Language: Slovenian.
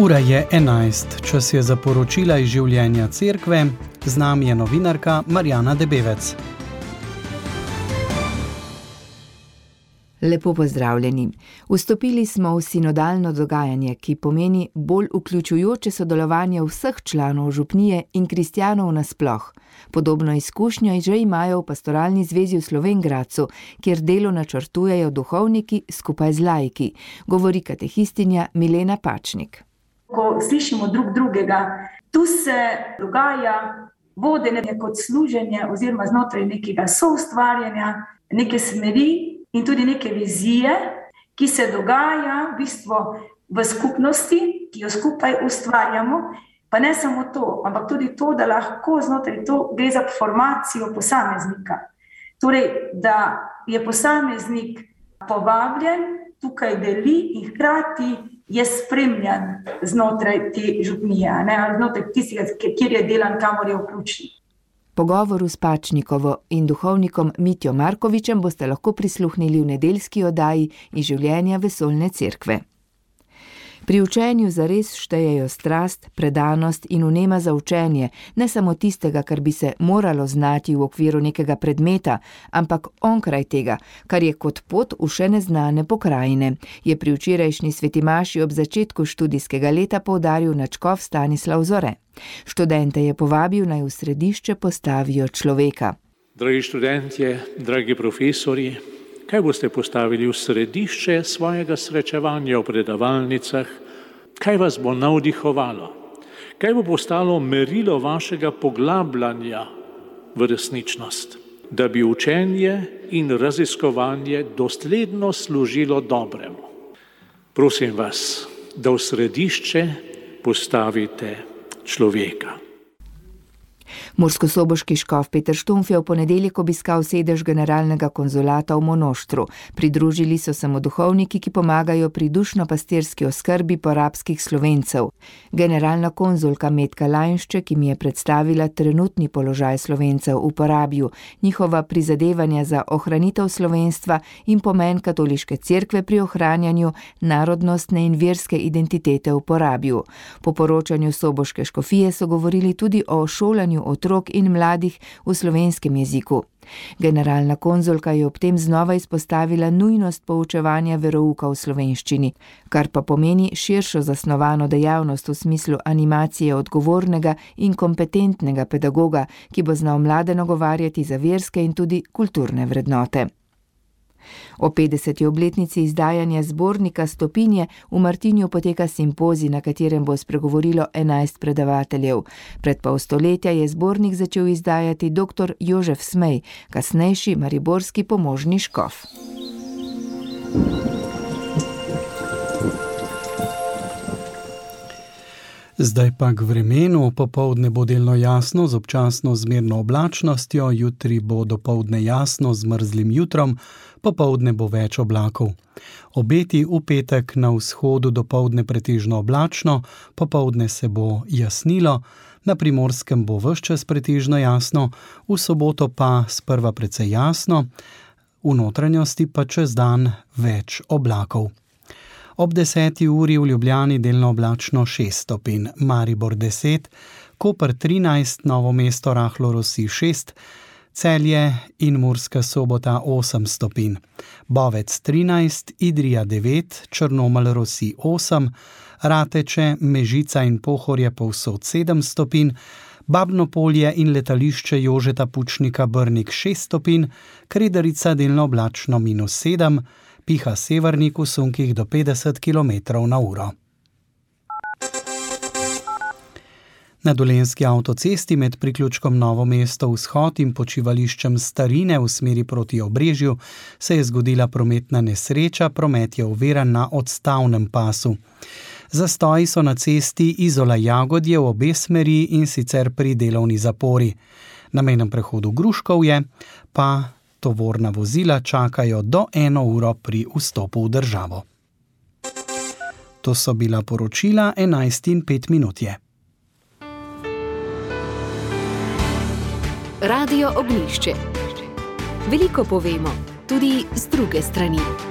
Ura je 11, čas je za poročila iz življenja cerkve, z nami je novinarka Marjana Debevec. Lepo pozdravljeni. Vstopili smo v sinodalno dogajanje, ki pomeni bolj vključujoče sodelovanje vseh članov župnije in kristjanov nasploh. Podobno izkušnjo že imajo v pastoralni zvezi v Slovenj Gradcu, kjer delo načrtujejo duhovniki skupaj z laiki, govori katehistinja Milena Pačnik. Ko slišimo drug drugega, tu se dogaja vodenje kot služenje oziroma znotraj nekega soustvarjanja, neke smeri in tudi neke vizije, ki se dogaja v bistvu v skupnosti, ki jo skupaj ustvarjamo, pa ne samo to, ampak tudi to, da lahko znotraj to gre za formacijo posameznika. Torej, da je posameznik povabljen, tukaj deli in hkrati je spremljan znotraj te župnije, ali znotraj tistega, kjer je delan, kamor je vključen. Pogovoru s Pačnikovo in duhovnikom Mitjo Markovičem boste lahko prisluhnili v nedeljski oddaji iz življenja vesoljne cerkve. Pri učenju zares štejejo strast, predanost in vnema za učenje, ne samo tistega, kar bi se moralo znati v okviru nekega predmeta, ampak onkraj tega, kar je kot pot v še neznane pokrajine, je pri včerajšnji sveti maši ob začetku študijskega leta poudaril nadškof Stanislav Zore. Študente je povabil, naj v središče postavijo človeka. Dragi študentje, dragi profesori, kaj boste postavili v središče svojega srečevanja v predavalnicah? Kaj vas bo navdihovalo? Kaj bo postalo merilo vašega poglabljanja v resničnost? Da bi učenje in raziskovanje dosledno služilo dobremu. Prosim vas, da v središče postavite človeka. Murskosoboški škof Peter Štumpf je v ponedeljek obiskal sedež generalnega konzulata v Monoštru. Pridružili so se mu duhovniki, ki pomagajo pri dušno-pastirski oskrbi porabskih Slovencev. Generalna konzulka Metka Lajnšček jim je predstavila trenutni položaj Slovencev v Porabju, njihova prizadevanja za ohranitev slovenstva in pomen katoliške cerkve pri ohranjanju narodnostne in verske identitete v Porabju. Po poročanju soboške škofije so govorili tudi o šolanju otrok in mladih v slovenskem jeziku. Generalna konzulka je ob tem znova izpostavila nujnost poučevanja verouka v slovenščini, kar pa pomeni širšo zasnovano dejavnost v smislu animacije odgovornega in kompetentnega pedagoga, ki bo znal mlade nagovarjati za verske in tudi kulturne vrednote. O 50. obletnici izdajanja zbornika Stopinje v Martinju poteka simpozij, na katerem bo spregovorilo 11 predavateljev. Pred pol stoletja je zbornik začel izdajati dr. Jožef Smej, kasnejši mariborski pomožni škof. Zdaj pa k vremenu. Popoldne bo delno jasno z občasno zmerno oblačnostjo, jutri bo dopoldne jasno z mrzlim jutrom, popoldne bo več oblakov. Obeti v petek na vzhodu dopoldne pretežno oblačno, popoldne se bo jasnilo, na Primorskem bo ves čas pretežno jasno, v soboto pa sprva precej jasno, v notranjosti pa čez dan več oblakov. Ob 10. uri v Ljubljani delno oblačno 6 stopinj, Maribor 10, Koper 13, Novo mesto rahlo rosi 6, Celje in Murska Sobota 8 stopinj, Bovec 13, Idrija 9, Črnomelj rosi 8, Rateče, Mežica in Pohorje povsod 7 stopinj, Babno Polje in letališče Jožeta Pučnika Brnik 6 stopinj, Kredarica delno oblačno -7, piha severnik v sunkih do 50 km/h. Na Dolenjski avtocesti med priključkom Novo mesto vzhod in počivališčem Starine v smeri proti Obrežju se je zgodila prometna nesreča, promet je oviran na odstavnem pasu. Zastoji so na cesti Izola-Jagodje v obe smeri in sicer pri delovni zapori. Na mejnem prehodu Gruškovje pa tovorna vozila čakajo do 1 uro pri vstopu v državo. To so bila poročila 11:05 je. Radio Ognjišče. Veliko povemo, tudi z druge strani.